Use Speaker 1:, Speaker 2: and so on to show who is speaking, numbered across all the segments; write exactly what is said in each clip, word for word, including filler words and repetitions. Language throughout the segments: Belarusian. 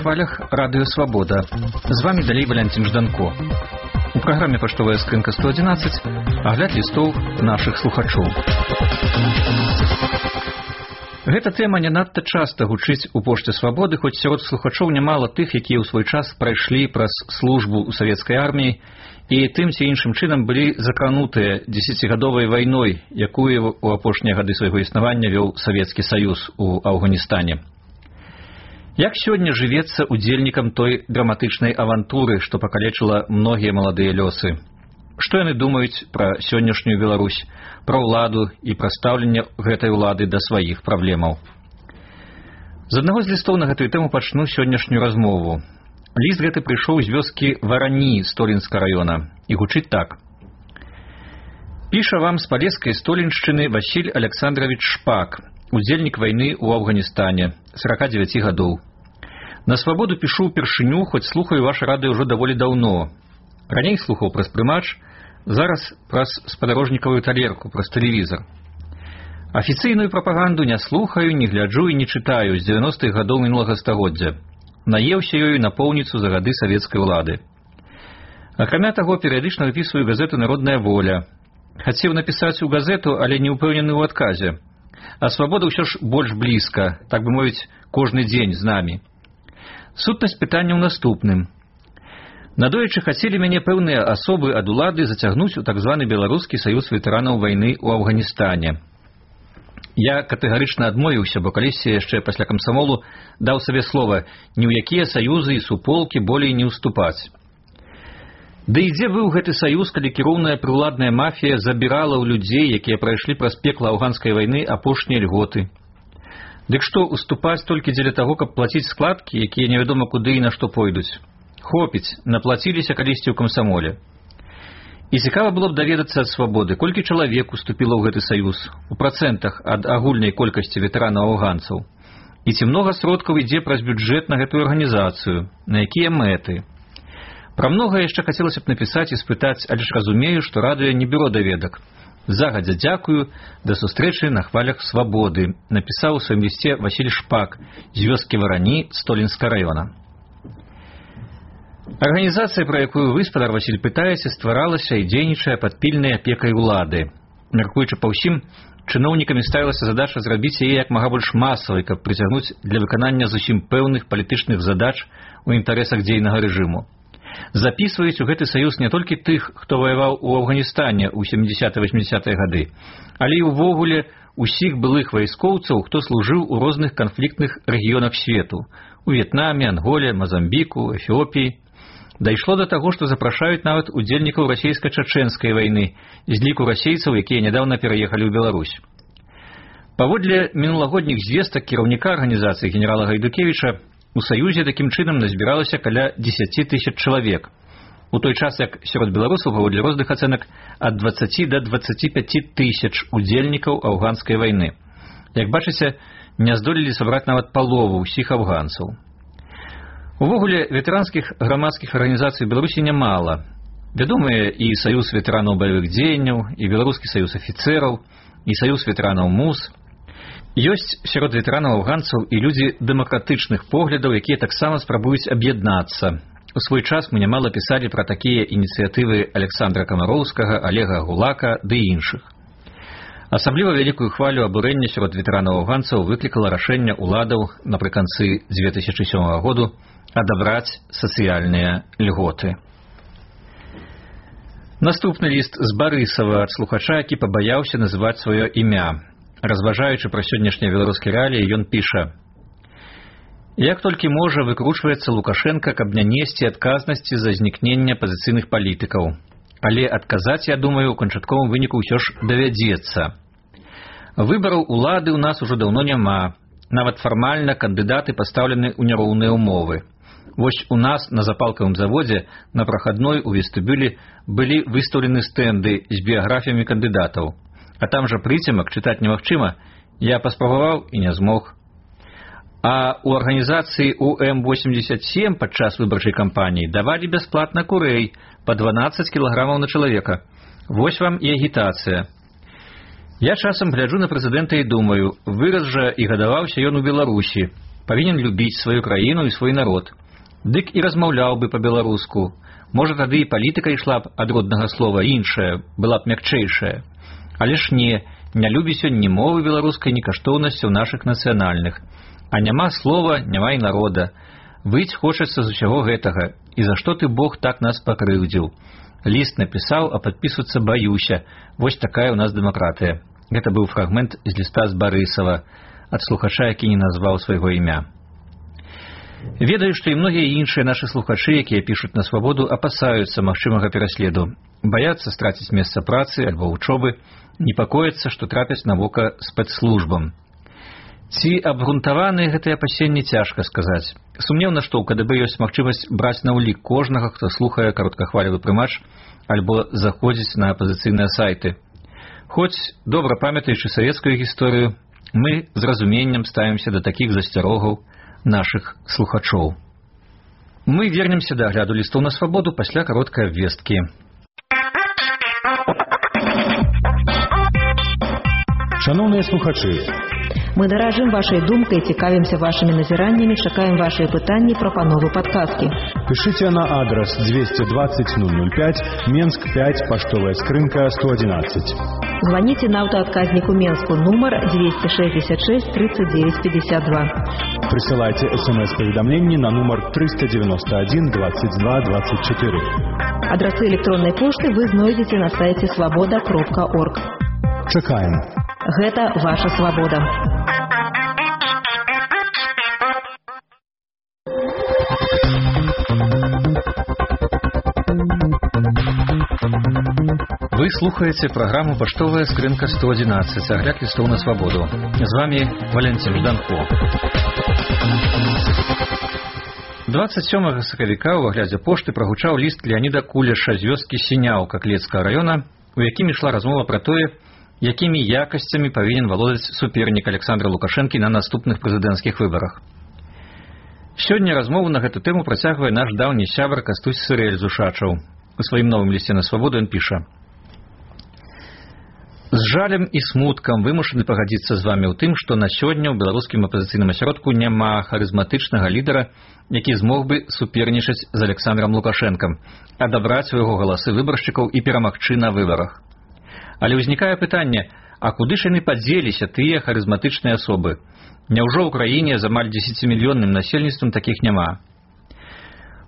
Speaker 1: хвалях радыё «Свабода». З вами далей Валентин Жданко. У праграме «Паштовая скрынка сто одиннадцать» агляд лістоў нашых слухачоў. Гэта тэма не надта часта гучыць у пошце «Свабоды», хоць сярод слухачоў нямала тых, якія ў свой час прайшлі праз службу ў савецкай арміі і тым ці іншым чынам былі закранутыя дзесяцігадовай вайной, якую ў апошнія гады свайго існавання вёў Савецкі Саюз у Афганістане. Як сёння жывецца удзельнікам той драматычнай авантуры, што пакалечыла многія маладыя лёсы? Што яны думаюць пра сённяшнюю Беларусь, пра ўладу і пра стаўленне гэтай улады да сваіх праблемаў? З аднаго з лістоў на гэтую тэму пачну сённяшнюю размову. Ліст гэты прыйшоў з вёскі Варані Столінска раёна і гучыць так. Піша вам з палескай Століншчыны Васіль Александрович Шпак, удзельнік вайны ў Афганістане, сорок девять гадоў. На «Свабоду» пішу ўпершыню, хоць слухаю ваше радыё ўжо даволі даўно. Раней слухаў праз прымач, зараз праз спадарожнікавую талерку, праз тэлевізар. Афіцыйную прапаганду не слухаю, не гляджу і не чытаю з дзевяностых гадоў мінулага стагоддзя. Наеўся ёю напоўніцу за гады савецкай улады. Акрамя таго, перыядычна выпісваю газету «Народная воля». Хацеў напісаць у газету, але не ўпэўнены ў адказе. А «Свабода» ўсё ж больш блізка, так бы мовіць, кожны дзень з намі. Сутнасць пытання ў наступным. Надоечы хацелі мяне пэўныя асобы ад улады зацягнуць у так званы Беларускі саюз ветэранаў вайны ў Афганістане. Я катэгарычна адмовіўся, бо калісьці яшчэ пасля камсамолу даў сабе слова ні ў якія саюзы і суполкі болей не ўступаць. Ды і дзе быў гэты саюз, калі кіроўная прыўладная мафія забірала ў людзей, якія прайшлі праз пекла афганскай вайны апошнія льготы? Дык што, уступаць толькі дзеля таго, каб плаціць складкі, якія невядома куды і на што пойдуць? Хопіць, наплаціліся калісьці ў камсамоле. І цікава было б даведацца ад «Свабоды», колькі чалавек уступіла ў гэты саюз, у працэнтах ад агульнай колькасці ветэранаў афганцаў. І ці многа сродкаў ідзе праз бюджэт на гэтую арганізацыю, на якія мэты? Пра многае яшчэ хацелася б напісаць і спытаць, але ж разумею, што радыё не бюро даведак. Загадзя дзякую, да сустрэчы на хвалях «Свабоды», напісаў у сваім лісце Васіль Шпак з вёскі Варані Столінска раёна. Арганізацыя, пра якую вы, спадар Васіль, пытаеце, стваралася і дзейнічае пад пільнай апекай улады. Мяркуючы па ўсім, чыноўнікамі ставілася задача зрабіць яе як мага больш масавай, каб прыцягнуць для выканання зусім пэўных палітычных задач у інтарэсах дзейнага рэжыму. Запісваюць у гэты саюз не толькі тых, хто ваяваў у Афганістане ў сямідзесятыя-васьмідзесятыя гады, але і ўвогуле усіх былых вайскоўцаў, хто служыў у розных канфліктных рэгіёнах свету – у В'етнаме, Анголе, Мазамбіку, Эфіопіі. Дайшло да таго, што запрашаюць нават удзельнікаў расейска-чачэнскай вайны з ліку расейцаў, якія нядаўна пераехалі ў Беларусь. Паводле мінулагодніх звестак кіраўніка арганізацыі генерала Гайдукевіча, у Саюзе такім чынам назбіралася каля дзесяці тысяч чалавек, у той час як сярод беларусаў, паводле розных ацэнак, ад дваццаці да дваццаці пяці тысяч удзельнікаў афганскай вайны. Як бачыце, не здолелі сабраць нават палову ўсіх афганцаў. Увогуле, ветэранскіх грамадскіх арганізацый Беларусі нямала. Вядомыя і Саюз ветэранаў баявых дзеянняў, і Беларускі саюз афіцэраў, і Саюз ветэранаў МУЗ. Ёсць сярод ветэранаў афганцаў і людзі дэмакратычных поглядаў, якія таксама спрабуюць аб'яднацца. У свой час мы нямала пісалі пра такія ініцыятывы Александра Камароўскага, Олега Гулака ды іншых. Асабліва вялікую хвалю абурэння сярод ветэранаў афганцаў выклікала рашэнне ўладаў напрыканцы дзве тысячы сёмага году адабраць сацыяльныя льготы. Наступны ліст з Барысава ад слухача, які пабаяўся называць сваё імя. Разважаючы пра сённяшнія беларускія рэаліі, ён піша: «Як толькі можа, выкручваецца Лукашенка, каб не несці адказнасці за знікнення пазіцыйных палітыкаў. Але адказаць, я думаю, у канчатковым выніку ўсё ж давядзецца. Выбараў улады ў нас ужо даўно няма. Нават фармальна кандыдаты пастаўлены ў няроўныя ўмовы. Вось у нас на запалкавым заводзе на прахадной у вестыбюлі былі выстаўлены стэнды з біяграфіямі кандыдатаў. А там жа прыцемак чытаць немагчыма, я паспрабаваў і не змог. А у арганізацыі У Эм восемьдесят семь падчас выбарчай кампаніі давалі бясплатна курэй па дванаццаць кілаграмаў на чалавека. Вось вам і агітацыя. Я часам гляджу на прэзідэнта і думаю, вырас жа і гадаваўся ён у Беларусі. павінен любіць сваю краіну і свой народ. Дык і размаўляў бы па-беларуску. Можа, тады і палітыка ішла б ад роднага слова іншая, была б мякчэйшая. Але ж не, не любіць ён ні мовы беларускай, ні каштоўнасцяў нашых нацыянальных. А няма слова, няма і народа. Выць хочацца з усяго гэтага. І за што ты, Бог, так нас пакрыўдзіў? Ліст напісаў, а падпісвацца баюся. Вось такая ў нас дэмакратыя. Гэта быў фрагмент з ліста з Барысава, ад слухача, які не назваў свайго імя. Ведаю, што і многія іншыя нашы слухачы, якія пішуць на свабоду, апасаюцца магчымага пераследу. Баяцца страціць месца працы альбо вучобы, непакояцца, што трапяць на вока спецслужбам. Ці абгрунтаваныя гэтыя апасенні, цяжка сказаць. Сумнеўна, што ў ка дэ бэ ёсць магчымасць браць на ўлік кожнага, хто слухае кароткахвалевы прымач альбо заходзіць на апазіцыйныя сайты. Хоць, добра памятаючы савецкую гісторыю, мы з разуменнем ставімся да такіх засцярогаў нашых слухачоў. Мы вернемся да агляду лістоў на свабоду пасля кароткай абвесткі.
Speaker 2: Шановныя слухачы,
Speaker 3: мы даражым вашай думкай, цікавімся вашымі назіраннямі, чакаем вашыя пытанні, прапановы, падказкі.
Speaker 2: Пишите на адрес двести двадцать ноль ноль пять, Менск пять, поштовая скрынка сто одиннадцать.
Speaker 3: Звоните на автоотказнику Менску, номер двести шестьдесят шесть тридцать девять пятьдесят два.
Speaker 2: Присылайте смс-поведомление на номер триста девяносто один двадцать два двадцать четыре.
Speaker 3: Адресы электронной почты вы знойдете на сайте свобода кропка орг.
Speaker 2: Чакаем.
Speaker 3: Гэта ваша свобода.
Speaker 1: Вы слухаете программу «Поштовая скрынка сто одиннадцать», огляд листов на свободу. С вами Валентин Жданко. двадцать сёмага сакавіка ў аглядзе пошты прагучаў ліст Леаніда Кулеша з вёскі Сіняўка Клецкага района, у якім ішла размова пра тое, якімі якасцямі павінен валодаць супернік Александра Лукашэнкі на наступных прэзідэнцкіх выбарах. Сёння размову на гэту тэму працягвае наш даўні сябар Кастусь Сырэль з Ушачаў. У сваім новым лісце на свабоду ён піша: «З жалем і смуткам вымушаны пагадзіцца з вамі ў тым, што на сёння ў беларускім апазіцыйным асяродку няма харызматычнага лідара, які змог бы супернічаць з Александрам Лукашэнкам, адабраць у яго галасы выбаршчыкаў і перамагчы на выбарах. Але ўзнікае пытанне, а куды ж яны падзеліся, тыя харызматычныя асобы? Няўжо ў краіне з амаль дзесяцімільённым насельніцтвам такіх няма?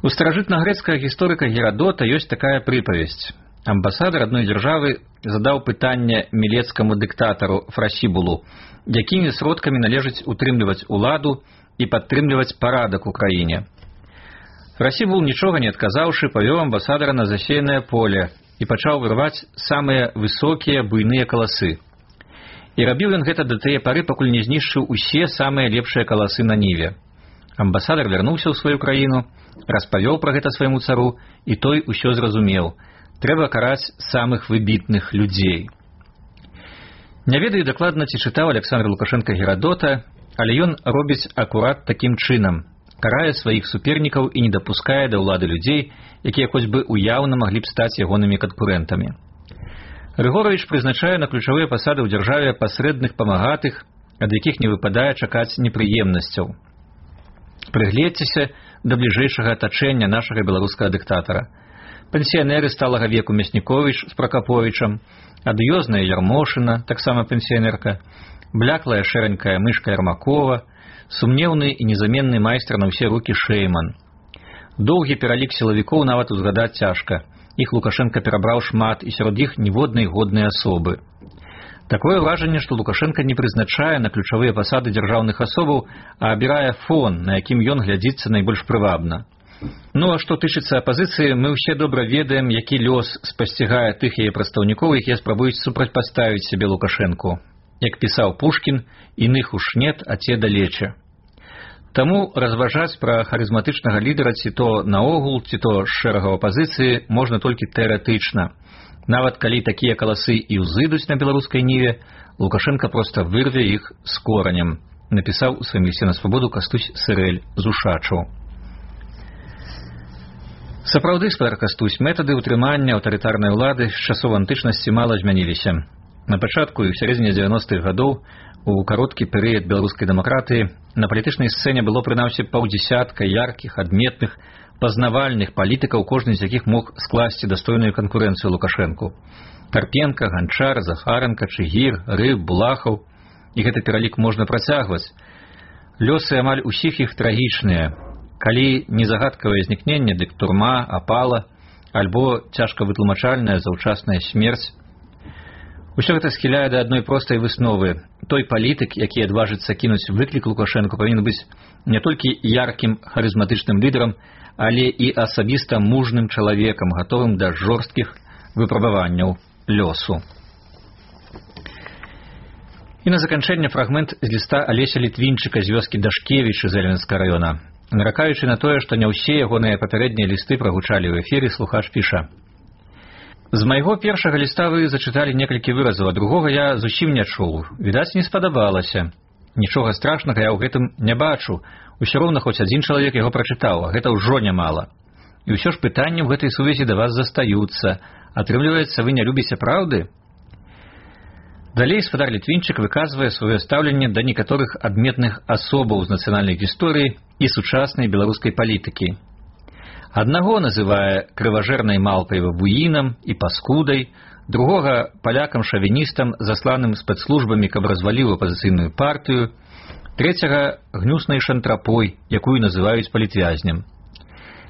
Speaker 1: У старажытнагрэцкага гісторыка Герадота ёсць такая прыпавесць. Амбасадар адной дзяржавы задаў пытанне мілецкаму дыктатару Фрасібулу, якімі сродкамі належыць утрымліваць уладу і падтрымліваць парадак у краіне. Фрасібул, нічога не адказаўшы, павёў амбасадара на засеянае поле і пачаў вырваць самыя высокія буйныя каласы. І рабіў ён гэта да тыя пары, пакуль не знішчыў усе самыя лепшыя каласы на ніве. Амбасадар вярнуўся ў сваю краіну, распавёў пра гэта свайму цару, і той усё зразумеў. Трэба караць самых выбітных людзей. Не ведаю дакладна, ці чытаў Александр Лукашенко Герадота, але ён робіць акурат такім чынам. Карае сваіх супернікаў і не дапускае да ўлады людзей, якія хоць бы уяўна маглі б стаць ягонымі канкурэнтамі. Рыгоровіч прызначае на ключавыя пасады ў дзяржаве пасрэдных памагатых, ад якіх не выпадае чакаць непрыемнасцяў. Прыгледзьцеся да бліжэйшага атачэння нашага беларускага дыктатара. Пенсіянеры сталага веку Мясніковіч з Пракаповічам, адыёзная Ярмошына, таксама пенсіянерка, бляклая шэранькая мышка Ярмакова, сумнеўны і незаменны майстар на ўсе рукі Шэйман. Доўгі пералік сілавікоў нават узгадаць цяжка. Іх Лукашенко перабраў шмат, і сярод іх ніводнай годнай асобы. Такое ўражанне, што Лукашенко не прызначае на ключавыя пасады дзяржаўных асобаў, а абірае фон, на якім ён глядзіцца найбольш прывабна. Ну, а што тычыцца апазіцыі, мы ўсе добра ведаем, які лёс спасцігае тых яе прадстаўнікоў, якія спрабуюць супрацьпаставіць сябе Лукашэнку. Як пісаў Пушкін, «Іных уж нет, а те далече». Таму разважаць пра харызматычнага лідара ці то наогул, ці то з шэрагаў апазіцыі можна толькі тэарэтычна. Нават калі такія каласы і ўзыдуць на беларускай ніве, Лукашенко проста вырве іх з коранем, напісаў у сваім лісце на свабоду Кастусь Сырэль з Ушачаў. Сапраўды, спадар Кастусь, метады ўтрымання аўтарытарнай улады з часоў антычнасці мала змяніліся. На пачатку і ў сярэдзіне дзевяностых гадоў у кароткі перыяд беларускай дэмакратыі на палітычнай сцэне было прынамсі паўдзясятка яркіх, адметных, пазнавальных палітыкаў, кожны з якіх мог скласці дастойную канкурэнцыю Лукашэнку. Карпенка, Ганчар, Захаранка, Чыгір, Рыб, Булахаў. І гэты пералік можна працягваць. Лёсы амаль усіх іх трагічныя. Калі не загадкавае знікненне, дык турма, апала, альбо цяжка вытлумачальная заўчасная смерць. Усё гэта схіляе да адной простай высновы. Той палітык, які адважыцца кінуць выклік Лукашэнку, павінен быць не толькі яркім харызматычным лідарам, але і асабіста мужным чалавекам, гатовым да жорсткіх выпрабаванняў лёсу. І на заканчэнне фрагмент з ліста Алеся Літвінчыка з вёскі Дашкевічы з Эленскага раёна. Наракаючы на тое, што не ўсе ягоныя папярэднія лісты прагучалі ў эфіры, слухач піша: «З майго першага ліста вы зачыталі некалькі выразаў, а другога я зусім не чуў. Відаць, не спадабалася. Нічога страшнага я ў гэтым не бачу. Усё роўна хоць адзін чалавек яго прачытаў, а гэта ўжо нямала. І ўсё ж пытанні ў гэтай сувязі да вас застаюцца. Атрымліваецца, вы не любіце праўды?» Далей спадар Літвінчык выказвае сваё стаўленне да некаторых адметных асобаў з нацыянальнай гісторыі і сучаснай беларускай палітыкі. Аднаго называе крыважэрнай малпай бабуінам і паскудай, другога палякам-шавіністам, засланым спецслужбамі, каб разваліў апазіцыйную партыю, трэцяга гнюснай шантрапой, якую называюць палітвязням.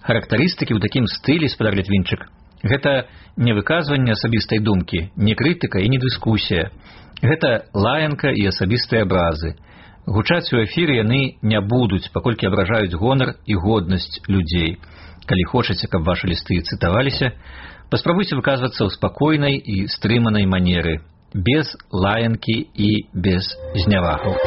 Speaker 1: Характарыстыкі ў такім стылі, спадар Літвінчык, гэта не выказванне асабістай думкі, не крытыка і не дыскусія. Гэта лаянка і асабістыя абразы. Гучаць у эфіры яны не будуць, паколькі абражаюць гонар і годнасць людзей. Калі хочаце, каб вашы лісты цытаваліся, паспрабуйце выказвацца ў спакойнай і стрыманай манеры, без лаянкі і без знявагаў.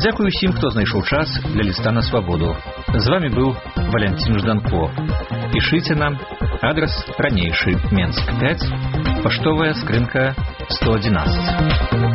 Speaker 1: Дзякую усім, хто знайшоў час для ліста на свабоду. З вами быў Валянцін Жданко. Пішыце нам. Адрес ранейшы Менск пяць, паштовая скрынка сто адзінаццаць.